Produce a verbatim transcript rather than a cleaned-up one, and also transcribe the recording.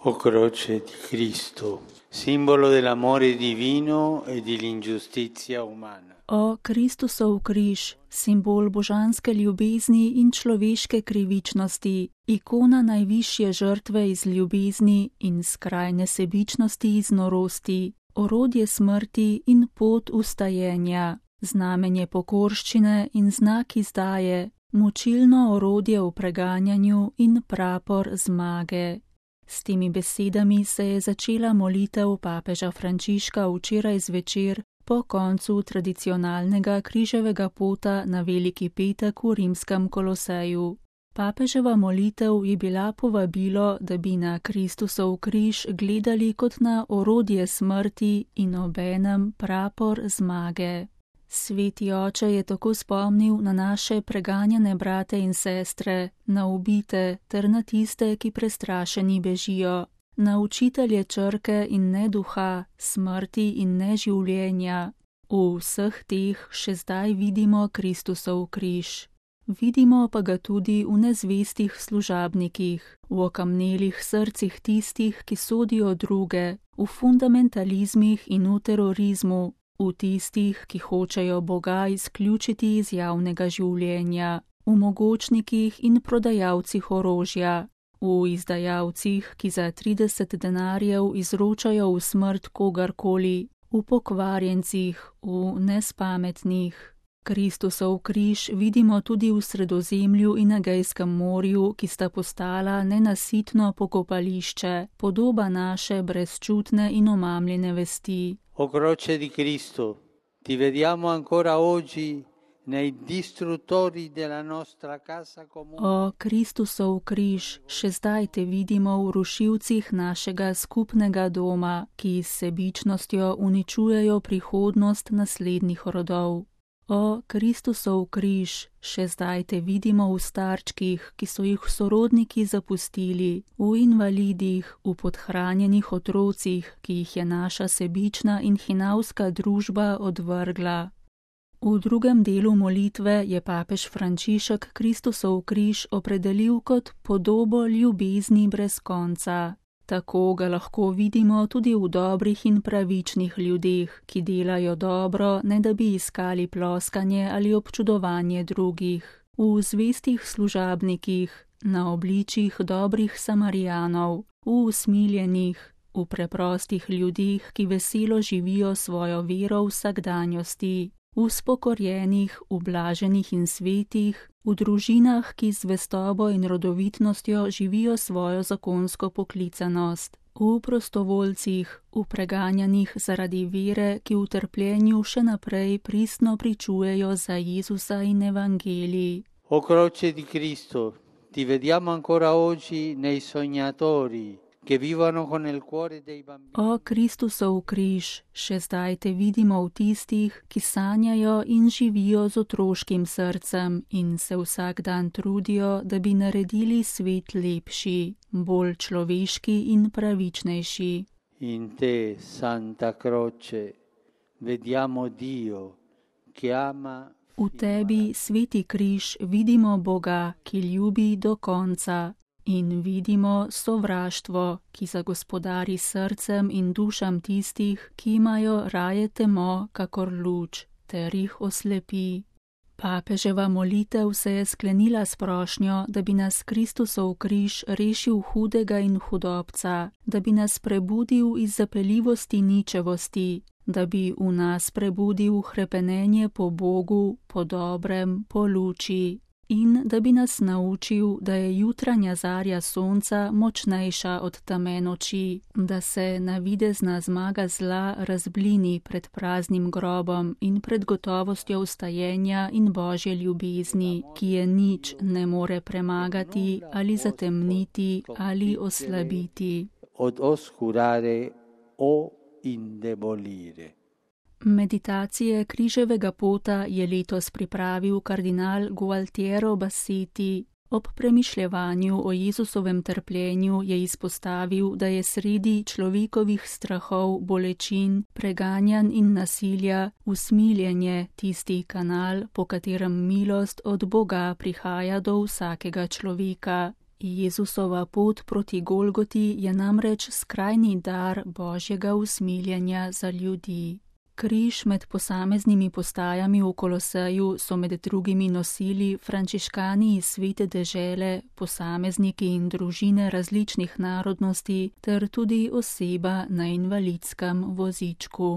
O croce di Cristo, simbolo dell'amore divino e dell'ingiustizia umana. O Kristusov križ, simbol božanske ljubezni in človeške krivičnosti, ikona najvišje žrtve iz ljubezni in skrajne sebičnosti iz norosti, orodje smrti in pot ustajenja, znamenje pokorščine in znak izdaje, mučilno orodje v preganjanju in prapor zmage. S temi besedami se je začela molitev papeža Frančiška včeraj zvečer po koncu tradicionalnega križevega pota na Veliki petek v rimskem Koloseju. Papeževa molitev je bila povabilo, da bi na Kristusov križ gledali kot na orodje smrti in obenem prapor zmage. Sveti oče je tako spomnil na naše preganjane brate in sestre, na ubite ter na tiste, ki prestrašeni bežijo, na učitelje črke in ne duha, smrti in ne življenja. V vseh teh še zdaj vidimo Kristusov križ. Vidimo pa ga tudi v nezvestih služabnikih, v okamnelih srcih tistih, ki sodijo druge, v fundamentalizmih in v terorizmu, v tistih, ki hočejo Boga izključiti iz javnega življenja, v mogočnikih in prodajalcih orožja, v izdajalcih, ki za trideset denarjev izročajo v smrt kogarkoli, v pokvarjencih, v nespametnih. Kristusov križ vidimo tudi v Sredozemlju in Egejskem morju, ki sta postala nenasitno pokopališče, podoba naše brezčutne in omamljene vesti. O croce di Cristo, ti vediamo ancora oggi nei distruttori della nostra casa comune. O Kristusov križ, še zdaj te vidimo v rušilcih našega skupnega doma, ki s sebičnostjo uničujejo prihodnost naslednjih rodov. O Kristusov križ, še zdaj te vidimo v starčkih, ki so jih sorodniki zapustili, v invalidih, v podhranjenih otrocih, ki jih je naša sebična in hinavska družba odvrgla. V drugem delu molitve je papež Frančišek Kristusov križ opredelil kot podobo ljubezni brez konca. Tako ga lahko vidimo tudi v dobrih in pravičnih ljudeh, ki delajo dobro, ne da bi iskali ploskanje ali občudovanje drugih, v zvestih služabnikih, na obličjih dobrih Samarijanov, v usmiljenih, v preprostih ljudeh, ki veselo živijo svojo vero v vsakdanjosti, v spokorjenih, ublaženih in svetih, v družinah, ki z zvestobo in rodovitnostjo živijo svojo zakonsko poklicanost, v prostovoljcih, v preganjanih zaradi vere, ki v trpljenju še naprej pristno pričujejo za Jezusa in evangelij. O croce di Cristo, ti vediamo ancora oggi nei sognatori, che vivono con il cuore dei bambini. O Kristusov križ, še zdaj te vidimo v tistih, ki sanjajo in živijo z otroškim srcem in se vsak dan trudijo, da bi naredili svet lepši, bolj človeški in pravičnejši. In te, Santa Croce, vediamo Dio, che ama. V tebi, sveti križ, vidimo Boga, ki ljubi do konca. In vidimo sovraštvo, ki zagospodari srcem in dušam tistih, ki imajo raje temo kakor luč, ter jih oslepi. Papeževa molitev se je sklenila s prošnjo, da bi nas Kristusov križ rešil hudega in hudobca, da bi nas prebudil iz zapeljivosti ničevosti, da bi v nas prebudil hrepenenje po Bogu, po dobrem, po luči. In da bi nas naučil, da je jutranja zarja sonca močnejša od teme noči, da se navidezna zmaga zla razblini pred praznim grobom in pred gotovostjo vstajenja in Božje ljubezni, ki je nič ne more premagati ali zatemniti ali oslabiti. Od oscurare o indebolire. Meditacije križevega pota je letos pripravil kardinal Gualtiero Bassetti. Ob premišljevanju o Jezusovem trpljenju je izpostavil, da je sredi človekovih strahov, bolečin, preganjanj in nasilja usmiljenje tisti kanal, po katerem milost od Boga prihaja do vsakega človeka. Jezusova pot proti Golgoti je namreč skrajni dar Božjega usmiljenja za ljudi. Križ med posameznimi postajami v Koloseju so med drugimi nosili frančiškani iz Svete dežele, posamezniki in družine različnih narodnosti ter tudi oseba na invalidskem vozičku.